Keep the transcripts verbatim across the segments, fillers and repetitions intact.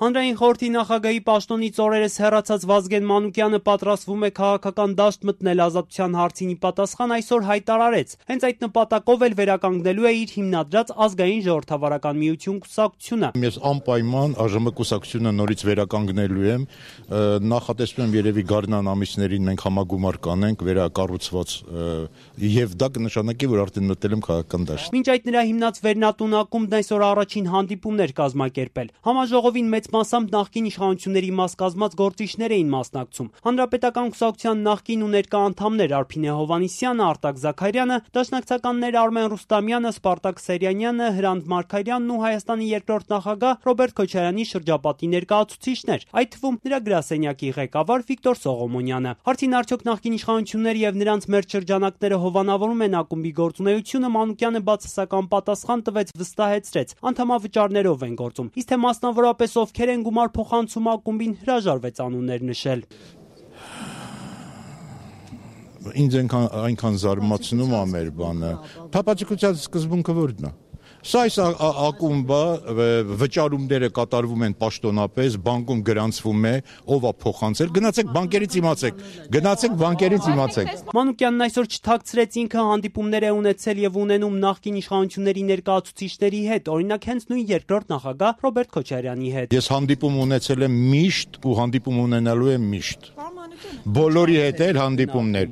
Հանրային խորհրդի նախագահի պաշտոնից օրերս հեռացած Վազգեն Մանուկյանը պատրաստվում է քաղաքական դաշտ մտնել ազատության հարցին ի պատասխան այսօր հայտարարեց. հենց այդ նպատակով էլ վերականգնելու է իր հիմնադրած ազգային ժողովրդավարական միություն կուսակցությունը։ Ես անպայման ԱԺՄ կուսակցությունը նորից վերականգնելու եմ, նախատեսում եմ երևի գարնան ամիսներին մենք համագումար կանենք վերակառուցված եւ դա կնշանակի, որ արդեն մտել եմ քաղաքական դաշտ։ Մինչ այդ նրա հիմնած Վերնատուն ակումբն այսօր առաջին հանդիպումներ կազմակերպել։ Համաժողովին մեծ մասամբ նախկին իշխանությունների մաս կազմած գործիչներ էին մասնակցում։ Հանրապետական կուսակցության նախկին ու ներկա անդամներ Արփինե Հովհաննիսյանը, Արտակ Զաքարյանը, դաշնակցականներ Արմեն Ռուստամյանը, Սպարտակ Սերյանյանը, Հրանտ Մարգարյանն ու Հայաստանի երկրորդ նախագահ Ռոբերտ Քոչարյանի շրջապատի ներկայացուցիչներ, այդ թվում նրա գրասենյակի ղեկավար Վիկտոր Սողոմոնյանը։ Հարցին արդյոք նախկին իշխանությունները եւ նրանց մեր շրջանակները հովանավորում են ակումբի գործունեությունը, Մանուկյանը բացասական պատասխան տվեց, վստահեցրեց. անդամավճարներով են գործում։ Իսկ թե մասնավորապես ովքեր են գումար փոխանցում ակումբին, հրաժարվեց անուններ նշել։ Ինձ այնքան զարմացնում է մեր բանը։ Փապացիկության սկզբունքը ո՞րն է։ Սա այս ակումբը վճարումները կատարվում են պաշտոնապես, բանկում գրանցվում է, ով է փոխանցել, գնացեք բանկերից իմացեք, գնացեք բանկերից իմացեք։ Մանուկյանն այսօր չթաքցրեց ինքը հանդիպումներ է ունեցել եւ ունենում նախկին իշխանությունների ներկայացուցիչների հետ, օրինակ հենց նույն երկրորդ նախագահ Ռոբերտ Քոչարյանի հետ։ Ես հանդիպում ունեցել եմ միշտ ու հանդիպում ունենալու եմ միշտ։ Բոլորի հետ էլ հանդիպումներ։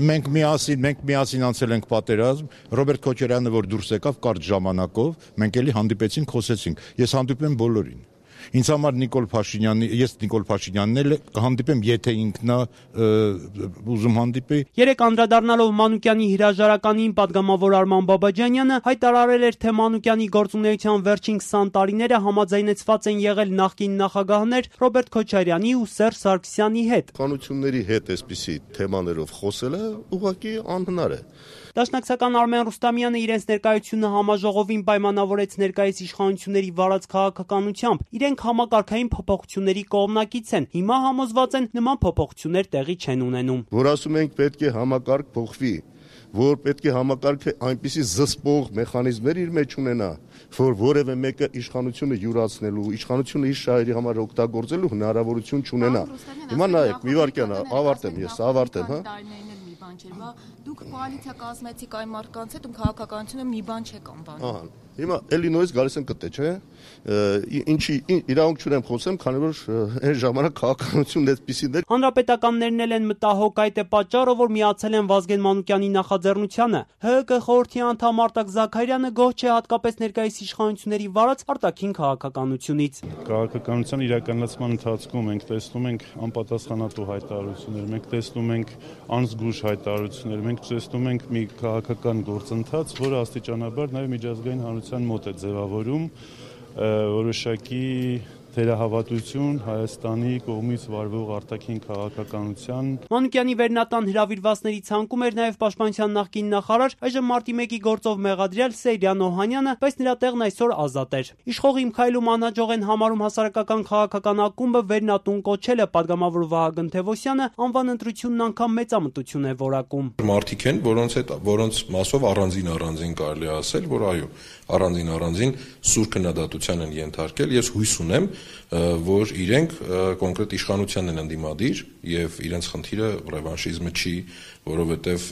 Մենք միասին, մենք միասին անցել ենք պատերազմ, Ռոբերտ Քոչարյանը որ դուրս եկավ կարճ ժամանակով, մենք էլի հանդիպեցինք, խոսեցինք։ Ես հանդիպում եմ բոլորին։ Ինձ համար Նիկոլ Փաշինյանի, ես Նիկոլ Փաշինյանն էլ հանդիպեմ, եթե ինքն է ուզում հանդիպի։ Երեք անդրադառնալով Մանուկյանի հրաժարականին, պատգամավոր Արման Բաբաջանյանը հայտարարել էր, թե Մանուկյանի գործունեության վերջին քսան տարիները համաձայնեցված են եղել նախկին նախագահներ Ռոբերտ Քոչարյանի ու Սերժ Սարգսյանի հետ։ Իշխանությունների հետ այսպիսի թեմաներով խոսելը ուղղակի անհնար է։ Դաշնակցական Արմեն Ռուստամյանը իրենց ներկայությունը համաժողովին պայմանավորեց ներկայիս իշխանությունների վարած քաղաքականությամբ։ Իրենք համակարգային փոփոխությունների կողմնակից են։ Հիմա համոզված են նման փոփոխություններ տեղի չեն ունենում։ Որ ասում ենք պետք է համակարգ փոխվի, որ պետք է համակարգը այնպիսի զսպող մեխանիզմներ իր մեջ ունենա, որ որևէ մեկը իշխանությունը յուրացնելու, իշխանությունը իր շահերի համար օգտագործելու հնարավորություն չունենա։ Հիմա նայեք, մի վարքյան ավարտեմ, ես ավարտեմ, հա։ Դուք կոալիցիա կազմեցիք այն մարդկանց հետ, ում քաղաքականությունը մի բան չեք անվանում։ Ահա, հիմա էլի նույնիսկ գալիս են կտե, չէ՞։ Ինչի իրավունք չունեմ խոսեմ, քանի որ այն ժամանակ քաղաքականությունն այդպիսին էր։ Հանրապետականներն էլ են մտահոգ, այդ է պատճառը, որ միացել են Վազգեն Մանուկյանի նախաձեռնությանը։ ՀՀԿ խորհրդի անդամ Արտակ Զաքարյանը գոհ չէ հատկապես ներկայիս իշխանությունների վարած արտաքին քաղաքականությունից։ Քաղաքականության իրականացման ընթացքում մենք տեսնում ենք անպատասխանատու հայտարարություններ, մենք տեսնում ենք անզգույշ հայտարարություններ, մենք տեսնում ենք մի քաղաքական գործընթաց, որը աստիճանաբար նաև միջազգային հանրության մոտ է ձևավորում որոշակի թերահավատություն Հայաստանի կողմից վարվող արտաքին քաղաքականության։ Մանուկյանի Վերնատան հրավիրվածների ցանկում էր նաև պաշտպանության նախկին նախարար, այժմ մարտի մեկի գործով մեղադրյալ Սեյրան Օհանյանը, բայց նրա տեղն այսօր ազատ էր։ Իշխող Իմ քայլում անհաջող են համարում հասարակական քաղաքական ակումբը Վերնատուն կոչելը, պատգամավոր Վահագն Թևոսյանը անվան ընտրությունն անգամ մեծամտություն է որակում։ Մարդիկ են, որոնց հետ որոնց մասով առանձին առանձին կարելի ասել, որ այո, առանձին առանձին սուր քննադատության են ենթարկել։ Ես հույս ունեմ, որ իրենք կոնկրետ իշխանությանն են ընդդիմադիր եւ իրենց խնդիրը ռևանշիզմը չի, որովհետեւ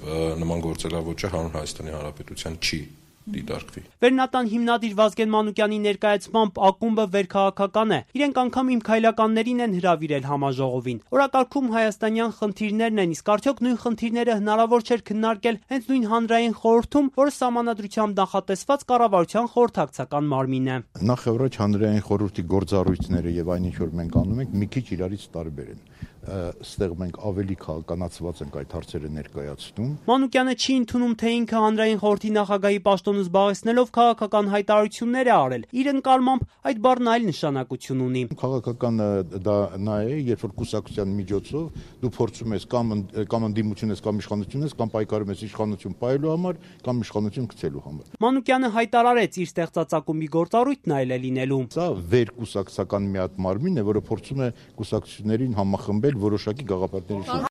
նման գործելավոճը հանուն Հայաստանի Հանրապետության չի դիտարկվի։ Վերնատան հիմնադիր Վազգեն Մանուկյանի ներկայացմամբ ակումբը վերքաղաքական է։ Իրենք անգամ Իմ քայլականներին են հրավիրել համաժողովին։ Օրակարգում հայաստանյան խնդիրներն են, իսկ արդյոք նույն խնդիրները հնարավոր չէր քննարկել հենց նույն հանրային խորհրդում, որը սահմանադրությամբ նախատեսված կառավարության խորհրդակցական մարմին է։ Նախ եւ առաջ հանրային խորհրդի գործառույթները եւ այն ինչ որ մենք անում ենք, մի քիչ իրարից տարբեր են։ Ստեղ մենք ավելի քաղաքականացված ենք այդ հարցերը ներկայացնում։ Մանուկյանը չի ընդունում, թե ինքը հանրային խորհրդի նախագահի պաշտոնը զբաղեցնելով քաղաքական հայտարարություններ է արել։ Իր ընկալմամբ այդ բառն այլ նշանակություն ունի։ Քաղաքական դա նա է, երբ որ կուսակցության միջոցով դու փորձում ես կամ կամ ընդդիմություն ես, կամ իշխանություն ես, կամ պայքարում ես իշխանություն պահելու համար, կամ իշխանություն գցելու համար։ Մանուկյանը հայտարարեց իր ստեղծած ակումբի գործառույթն այլ է լինելու։ Սա վերկուսակցական մի հատ մարմին է, որը փորձում է կուսակցություններին համախմբել որոշակի գաղափարների շուրջ։